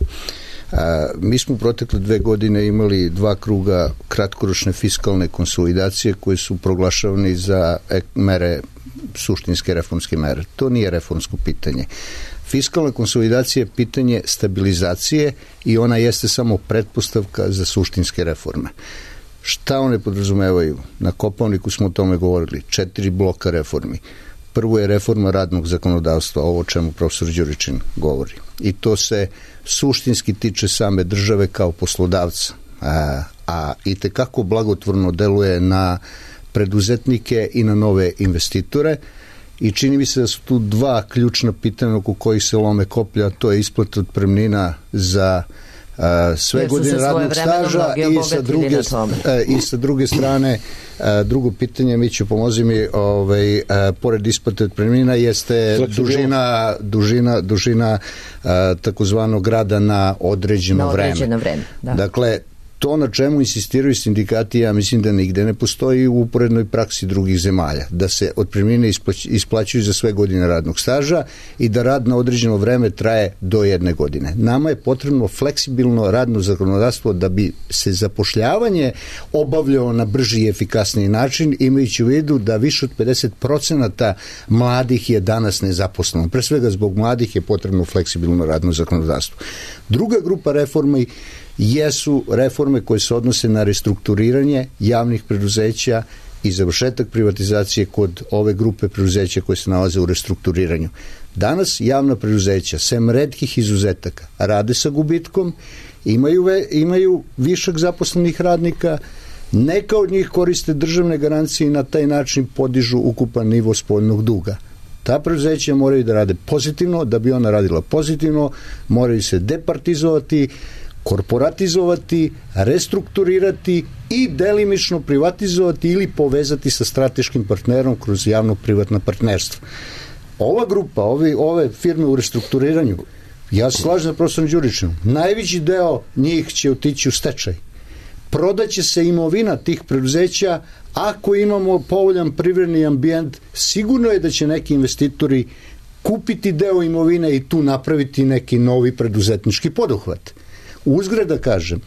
A, mi smo u protekle dve godine imali dva kruga kratkoročne fiskalne konsolidacije koje su proglašavani za mere, suštinske reformske mere. To nije reformsko pitanje. Fiskalna konsolidacija je pitanje stabilizacije i ona jeste samo pretpostavka za suštinske reforme. Šta one podrazumevaju? Na Kopaoniku smo o tome govorili. Četiri bloka reformi. Prvo je reforma radnog zakonodavstva, ovo o čemu profesor Đuričin govori. I to se suštinski tiče same države kao poslodavca. A, a i tekako blagotvorno deluje na preduzetnike i na nove investitore. I čini mi se da su tu dva ključna pitanja oko kojih se lome koplja, to je isplata otpremnina za uh, sve godine radnog staža i sa, druge, uh, i sa druge strane uh, drugo pitanje, mi ću pomozi mi ovaj, uh, pored isplate otpremnina jeste dužina, dužina, dužina uh, takozvanog rada na određeno, na određeno vreme. vreme da. Dakle, to na čemu insistiraju sindikati, ja mislim da nigde ne postoji u uporednoj praksi drugih zemalja, da se otpremnine isplaćuju za sve godine radnog staža i da rad na određeno vreme traje do jedne godine. Nama je potrebno fleksibilno radno zakonodavstvo da bi se zapošljavanje obavljalo na brži i efikasniji način, imajući u vidu da više od pedeset procenata mladih je danas nezaposleno. Pre svega zbog mladih je potrebno fleksibilno radno zakonodavstvo. Druga grupa reformi jesu reforme koje se odnose na restrukturiranje javnih preduzeća i završetak privatizacije kod ove grupe preduzeća koje se nalaze u restrukturiranju. Danas javna preduzeća, sem retkih izuzetaka, rade sa gubitkom, imaju, ve, imaju višak zaposlenih radnika, neka od njih koriste državne garancije i na taj način podižu ukupan nivo spoljnog duga. Ta preduzeća moraju da rade pozitivno, da bi ona radila pozitivno, moraju se departizovati, korporatizovati, restrukturirati i delimično privatizovati ili povezati sa strateškim partnerom kroz javno-privatno partnerstvo. Ova grupa, ovi, ove firme u restrukturiranju, ja se slažem sa profesorom Đuričinom, najveći deo njih će otići u stečaj. Prodaće se imovina tih preduzeća, ako imamo povoljan privredni ambijent, sigurno je da će neki investitori kupiti deo imovine i tu napraviti neki novi preduzetnički poduhvat. Uzgred da kažem,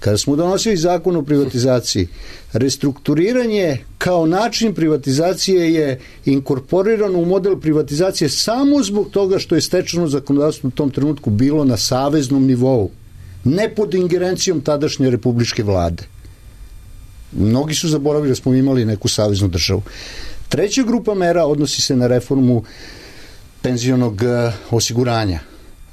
kada smo donosili zakon o privatizaciji, restrukturiranje kao način privatizacije je inkorporirano u model privatizacije samo zbog toga što je stečeno zakonodavstvo u tom trenutku bilo na saveznom nivou, ne pod ingerencijom tadašnje republičke vlade. Mnogi su zaboravili da smo imali neku saveznu državu. Treća grupa mera odnosi se na reformu penzionog osiguranja.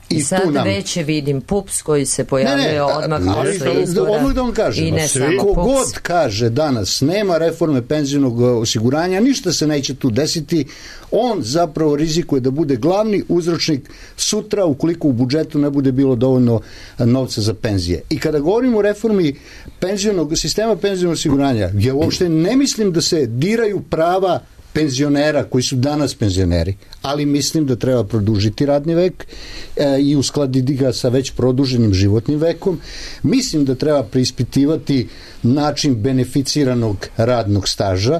I, I sad nam... već vidim P U P S koji se pojavljuje ne, ne, odmah posle izbora. Odmah da vam kažem, i ne samo kogod kaže danas nema reforme penzionog osiguranja, ništa se neće tu desiti, on zapravo rizikuje da bude glavni uzročnik sutra ukoliko u budžetu ne bude bilo dovoljno novca za penzije. I kada govorimo o reformi penzionog, sistema penzionog osiguranja, ja uopšte ne mislim da se diraju prava penzionera koji su danas penzioneri, ali mislim da treba produžiti radni vek e, i uskladiti ga sa već produženim životnim vekom. Mislim da treba preispitivati način beneficiranog radnog staža.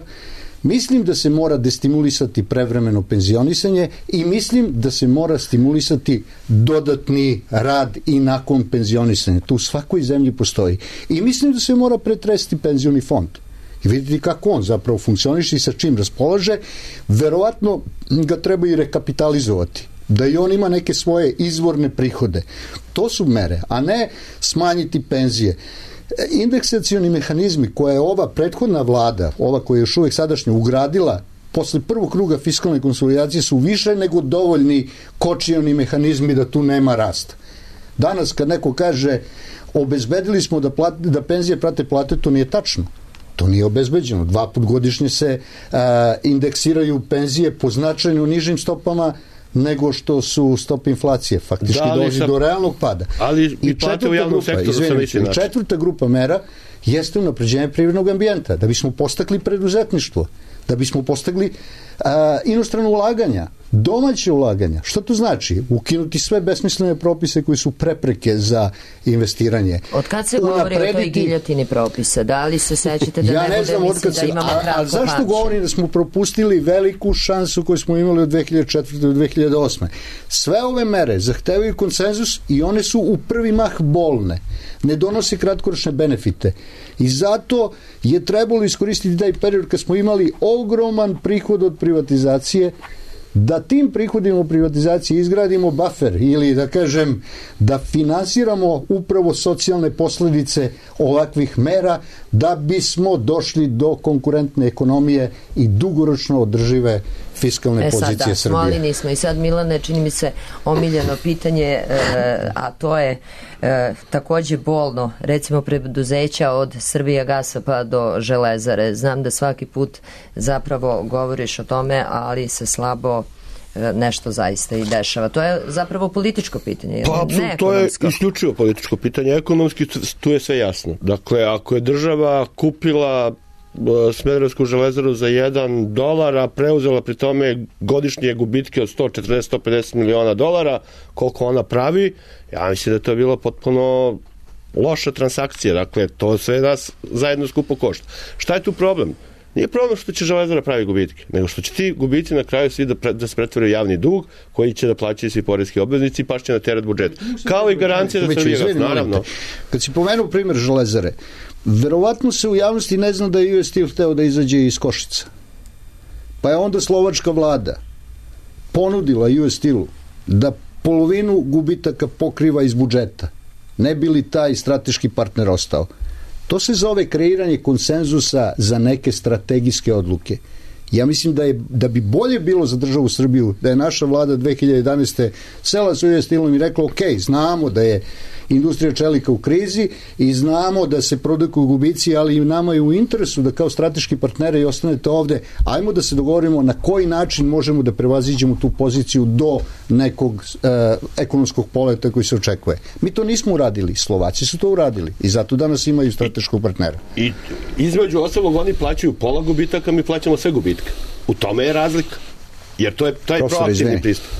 Mislim da se mora destimulisati prevremeno penzionisanje i mislim da se mora stimulisati dodatni rad i nakon penzionisanja. To u svakoj zemlji postoji. I mislim da se mora pretresiti penzioni fond. I vidite kako on zapravo funkcioniše i sa čim raspolaže, verovatno ga treba i rekapitalizovati, da i on ima neke svoje izvorne prihode. To su mere, a ne smanjiti penzije. Indeksacioni mehanizmi koje je ova prethodna vlada, ova koja je još uvek sadašnja ugradila posle prvog kruga fiskalne konsolidacije, su više nego dovoljni kočioni mehanizmi da tu nema rasta. Danas kad neko kaže obezbedili smo da, plate, da penzije prate plate, to nije tačno. To nije obezbeđeno. Dva put godišnje se a, indeksiraju penzije po značajno nižim stopama nego što su stope inflacije. Faktički da, dolazi sam, do realnog pada. Ali i plate u javnom sektoru sa veći način. Četvrta grupa mera jeste unapređenje privrednog ambijenta, da bismo postakli preduzetništvo, da bismo postakli a, inostrano ulaganja, domaće ulaganja. Što to znači? Ukinuti sve besmislene propise koji su prepreke za investiranje. Od kad se govori o toj giljotini propisa? Da li se sećate da ja ne, ne bude, mislim, se, da imamo a, kratko a zašto pamćenje? govorim da smo propustili veliku šansu koju smo imali od dve hiljade četvrte do dve hiljade osme? Sve ove mere zahtevaju konsenzus i one su u prvi mah bolne. Ne donose kratkoročne benefite. I zato je trebalo iskoristiti taj period kad smo imali ogroman prihod od privatizacije, da tim prihodima u privatizaciji izgradimo buffer ili da kažem da finansiramo upravo socijalne posledice ovakvih mera da bismo došli do konkurentne ekonomije i dugoročno održive fiskalne e sad, pozicije da, Srbije. Smoli nismo. I sad, Milane, čini mi se omiljeno pitanje, e, a to je e, takođe bolno, recimo preduzeća od Srbijagasa pa do Železare. Znam da svaki put zapravo govoriš o tome, ali se slabo e, nešto zaista i dešava. To je zapravo političko pitanje. Pa, ne to je isključivo političko pitanje. Ekonomski tu je sve jasno. Dakle, ako je država kupila Smederevsku železaru za jedan dolar, a preuzela pri tome godišnje gubitke od sto četrdeset do sto pedeset miliona dolara, koliko ona pravi, ja mislim da to je bilo potpuno loša transakcija. Dakle, to sve nas zajedno skupo košta. Šta je tu problem? Nije problem što će železara pravi gubitke, nego što će ti gubici na kraju svi da, pre, da se pretvore javni dug koji će da plaćaju svi poreski obveznici i pašće na teret budžeta. Kao i garancija za Srbijagas, naravno. Kad si pomenuo primjer železare, verovatno se u javnosti ne zna da je U S Steel hteo da izađe iz Košica. Pa je onda slovačka vlada ponudila U S Steelu da polovinu gubitaka pokriva iz budžeta. Ne bi li taj strateški partner ostao? To se zove kreiranje konsenzusa za neke strategijske odluke. Ja mislim da, je, da bi bolje bilo za državu Srbiju da je naša vlada dve hiljade jedanaeste sela sa U S Steelom i rekla ok, znamo da je industrija čelika u krizi i znamo da se produkuju gubici, ali i nama je u interesu da kao strateški partneri i ostanete ovde, ajmo da se dogovorimo na koji način možemo da prevaziđemo tu poziciju do nekog e, ekonomskog poleta koji se očekuje. Mi to nismo uradili, Slovaci su to uradili i zato danas imaju strateškog partnera. I između ostalog oni plaćaju pola gubitaka, mi plaćamo sve gubitke. U tome je razlika. Jer to je taj proaktivni pristup.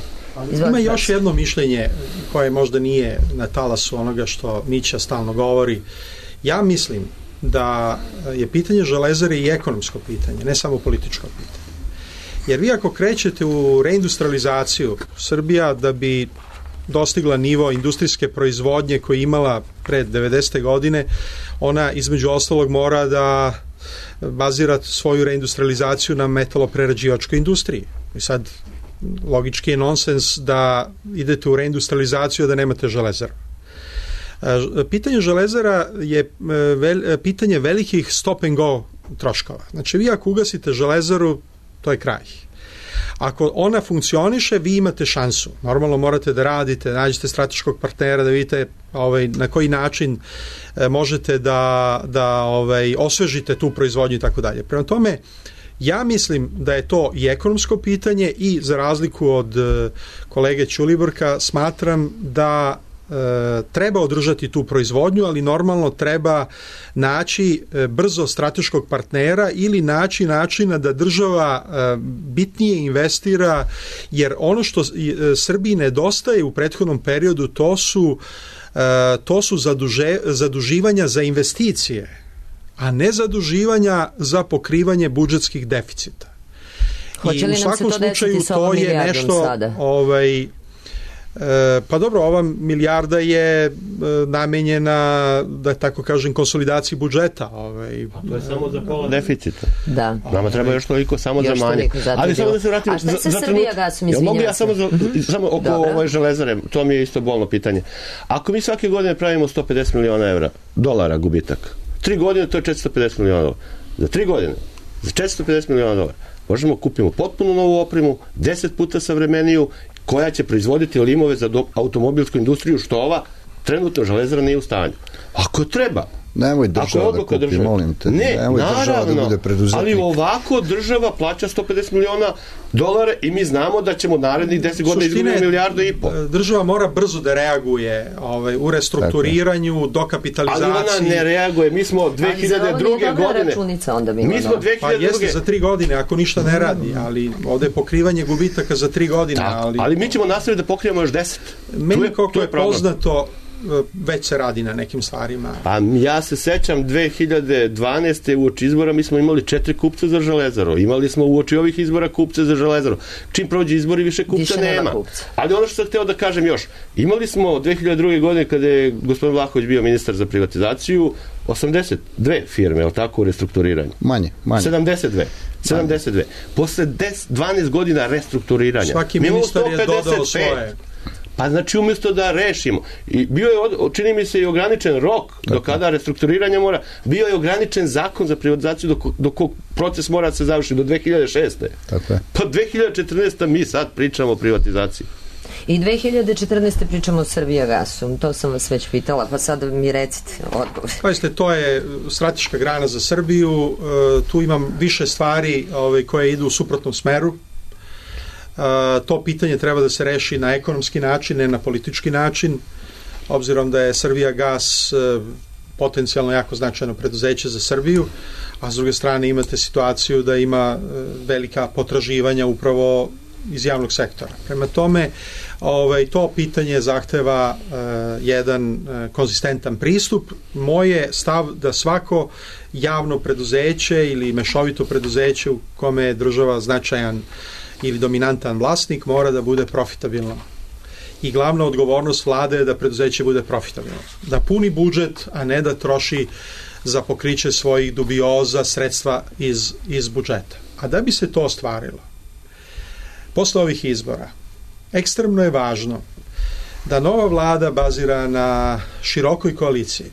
Ima još jedno mišljenje koje možda nije na talasu onoga što Mića stalno govori. Ja mislim da je pitanje železare i ekonomsko pitanje, ne samo političko pitanje. Jer vi ako krećete u reindustrializaciju, Srbija da bi dostigla nivo industrijske proizvodnje koju je imala pred devedesete godine, ona između ostalog mora da bazira svoju reindustrializaciju na metaloprerađivačkoj industriji. I sad logički je nonsens da idete u reindustrializaciju da nemate železaru. Pitanje železara je vel, pitanje velikih stop and go troškova. Znači, vi ako ugasite železaru, to je kraj. Ako ona funkcioniše, vi imate šansu. Normalno morate da radite, nađete strateškog partnera, da vidite ovaj, na koji način e, možete da, da ovaj, osvežite tu proizvodnju i tako dalje. Prema tome, ja mislim da je to i ekonomsko pitanje i za razliku od e, kolege Ćulibrka smatram da E, treba održati tu proizvodnju, ali normalno treba naći e, brzo strateškog partnera ili naći načina da država e, bitnije investira, jer ono što e, Srbiji nedostaje u prethodnom periodu to su, e, to su zaduže, zaduživanja za investicije, a ne zaduživanja za pokrivanje budžetskih deficita. Hoće li I u nam svakom se to slučaju desiti sa to ovom je milijardom nešto sada? ovaj E, pa dobro, ova milijarda je e, namenjena, da tako kažem, konsolidaciji budžeta. Ovaj, a to je samo za pola deficita. Da. Nama treba još toliko samo još za manje. Ali samo da se vratim a šta se za, za Srbija gasom, izvinjam mogu ja se. samo, za, samo oko ove železare, to mi je isto bolno pitanje. Ako mi svake godine pravimo sto pedeset miliona evra, dolara gubitak, tri godine to je četiristo pedeset miliona dolara. Za tri godine, za četiristo pedeset miliona dolara, možemo kupimo potpuno novu opremu, deset puta savremeniju, koja će proizvoditi limove za do, automobilsku industriju, što ova trenutno železara nije u stanju. Ako treba, nemoj država da kupi, država, molim te. Ne, nemoj naravno, da bude preduzetnik. Ali ovako država plaća sto pedeset miliona dolara i mi znamo da ćemo narednih deset godina izgubiti milijardu i pol. Država mora brzo da reaguje ovaj, u restrukturiranju, dokapitalizaciji. Ali ona ne reaguje. Mi smo dve hiljade druge godine. Računica onda bilo. Mi smo dve hiljade druge. Pa jeste za tri godine, ako ništa ne radi, ali ovde je pokrivanje gubitaka za tri godine. Tak, ali, ali mi ćemo nastaviti da pokrijemo još deset. Meni kako je, je poznato, već se radi na nekim stvarima. Pa ja se sećam dve hiljade dvanaeste uoči izbora mi smo imali četiri kupca za železaru. Imali smo uoči ovih izbora kupce za železaru. Čim prođe izbori više kupca više nema. Kupca. Ali ono što sam hteo da kažem još, imali smo dve hiljade druge godine kada je gospodin Vlahović bio ministar za privatizaciju osamdeset dve firme, je li tako, u restrukturiranju? Manje, manje. sedamdeset dve. sedamdeset dve. Posle deset, dvanaest godina restrukturiranja. Svaki ministar je dodao svoje. Pa znači umjesto da rešimo. I bio je, čini mi se, i ograničen rok do kada restrukturiranje mora, bio je ograničen zakon za privatizaciju do, do kog proces mora da se završi do dve hiljade šeste. Tako je. Pa dve hiljade četrnaeste mi sad pričamo o privatizaciji. I dve hiljade četrnaeste pričamo o Srbijagasu. To sam vas već pitala, pa sad mi recite odgovor. Pazite, to je strateška grana za Srbiju. E, tu imam više stvari ove, koje idu u suprotnom smeru. Uh, to pitanje treba da se reši na ekonomski način, ne na politički način, obzirom da je Srbijagas uh, potencijalno jako značajno preduzeće za Srbiju, a s druge strane imate situaciju da ima uh, velika potraživanja upravo iz javnog sektora. Prema tome, ovaj, to pitanje zahteva uh, jedan uh, konzistentan pristup. Moj je stav da svako javno preduzeće ili mešovito preduzeće u kome je država značajan ili dominantan vlasnik mora da bude profitabilno. I glavna odgovornost vlade je da preduzeće bude profitabilno. Da puni budžet, a ne da troši za pokriće svojih dubioza sredstva iz, iz budžeta. A da bi se to ostvarilo, posle ovih izbora, ekstremno je važno da nova vlada bazira na širokoj koaliciji.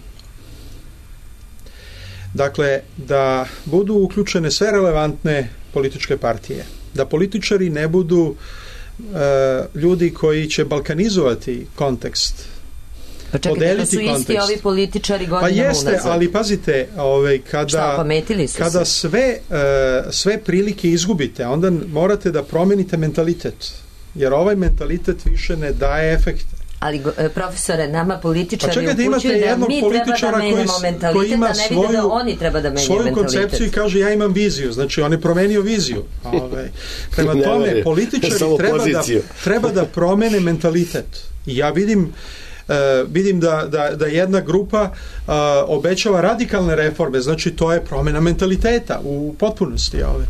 Dakle, da budu uključene sve relevantne političke partije. Da političari ne budu uh, ljudi koji će balkanizovati kontekst. Pa čekajte, da su isti kontekst. Ovi političari godinama unazad. Pa jeste, unazad. ali pazite, ovaj, kada, Šta, kada sve, uh, sve prilike izgubite, onda morate da promenite mentalitet. Jer ovaj mentalitet više ne daje efekte. Ali, profesore, nama političari pa čekajte, upućuju da mi treba da menjamo mentalitet, koji ima a ne vide da oni treba da menjaju svoju mentalitet. Svoju koncepciju i kaže ja imam viziju, znači on je promenio viziju. Ove, prema tome, političari treba da, treba da promene mentalitet. I ja vidim Uh, vidim da, da, da jedna grupa uh, obećava radikalne reforme, znači to je promjena mentaliteta u potpunosti. Ove.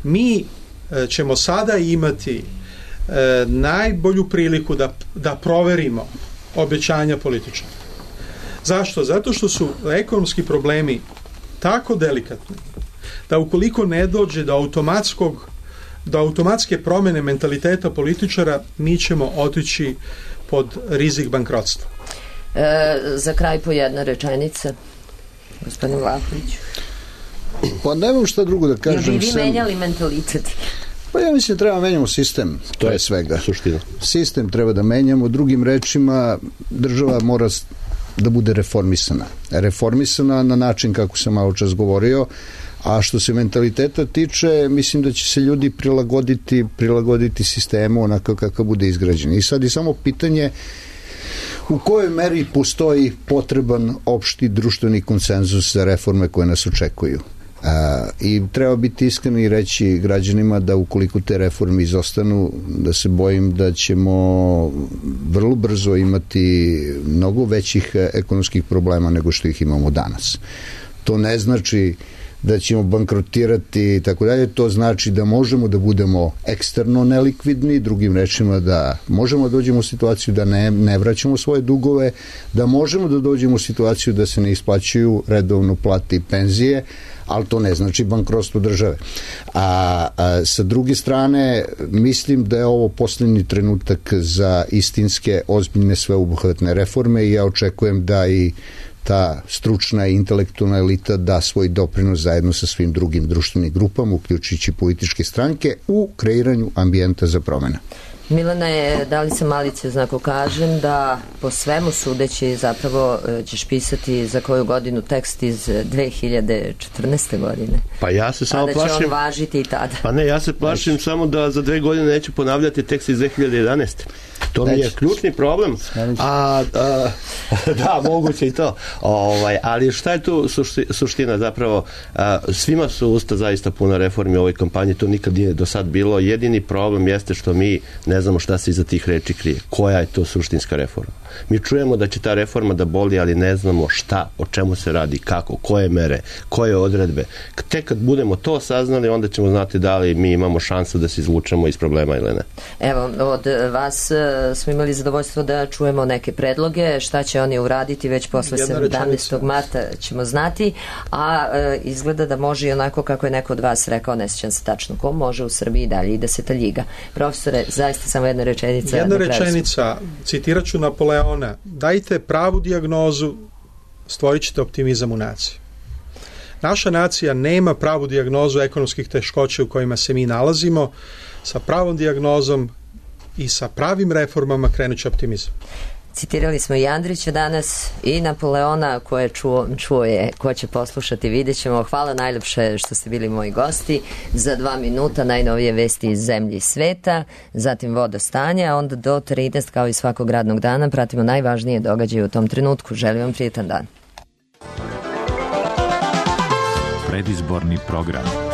Mi uh, ćemo sada imati E, najbolju priliku da, da proverimo obećanja političara. Zašto? Zato što su ekonomski problemi tako delikatni da ukoliko ne dođe do automatskog do automatske promjene mentaliteta političara, mi ćemo otići pod rizik bankrotstva. E, za kraj po jedna rečenica, gospodin Vlahović. Pa nemam šta drugo da kažem. Jel bi vi sem... menjali mentalitet? Pa ja mislim da treba menjamo sistem, to je svega. Suština. Sistem treba da menjamo, drugim rečima država mora da bude reformisana. Reformisana na način kako sam malo čas govorio, a što se mentaliteta tiče, mislim da će se ljudi prilagoditi, prilagoditi sistemu onako kako bude izgrađen. I sad je samo pitanje u kojoj meri postoji potreban opšti društveni konsenzus za reforme koje nas očekuju. A, i treba biti iskren i reći građanima da ukoliko te reforme izostanu, da se bojim da ćemo vrlo brzo imati mnogo većih ekonomskih problema nego što ih imamo danas. To ne znači da ćemo bankrotirati i tako dalje, to znači da možemo da budemo eksterno nelikvidni, drugim rečima da možemo da dođemo u situaciju da ne, ne vraćamo svoje dugove, da možemo da dođemo u situaciju da se ne isplaćuju redovno plate i penzije, ali to ne znači bankrotstvo države. A, a sa druge strane, mislim da je ovo posljednji trenutak za istinske, ozbiljne, sveobuhvatne reforme i ja očekujem da i ta stručna i intelektualna elita da svoj doprinos zajedno sa svim drugim društvenim grupama, uključujući političke stranke, u kreiranju ambijenta za promjene. Milane, da li sam malice znako kažem da po svemu sudeći zapravo ćeš pisati za koju godinu tekst iz dve hiljade četrnaeste. godine? Pa ja se samo plašim... A da će on važiti i tada? Pa ne, ja se plašim Neći. samo da za dve godine neću ponavljati tekst iz dve hiljade jedanaeste. To Neći. mi je ključni problem. A, a, da, moguće i to. Ovaj, ali šta je tu sušti, suština zapravo? A, svima su usta zaista puna reformi u ovoj kampanji, to nikad nije do sad bilo. Jedini problem jeste što mi ne znamo šta se iza tih reči krije. Koja je to suštinska reforma? Mi čujemo da će ta reforma da boli, ali ne znamo šta, o čemu se radi, kako, koje mere, koje odredbe. Tek kad budemo to saznali, onda ćemo znati da li mi imamo šansu da se izvučemo iz problema ili ne. Evo, od vas smo imali zadovoljstvo da čujemo neke predloge, šta će oni uraditi već posle sedamnaestog marta ćemo znati, a e, izgleda da može i onako kako je neko od vas rekao, ne sjećam se tačno ko, može u Srbiji dalje i deseta liga. Profesore, zaista samo jedna rečenica. Jedna rečenica, citirat ću Napoleona, dajte pravu dijagnozu, stvorit ćete optimizam u naciji. Naša nacija nema pravu dijagnozu ekonomskih teškoća u kojima se mi nalazimo. Sa pravom dijagnozom i sa pravim reformama krenut će optimizam. Citirali smo i Andrića danas i Napoleona, koje čuo, čuo je, ko će poslušati, vidjet ćemo. Hvala najljepše što ste bili moji gosti. Za dva minuta najnovije vesti iz zemlje i sveta, zatim voda stanja, a onda do trinaest kao i svakog radnog dana pratimo najvažnije događaje u tom trenutku. Želim vam prijetan dan. Predizborni program.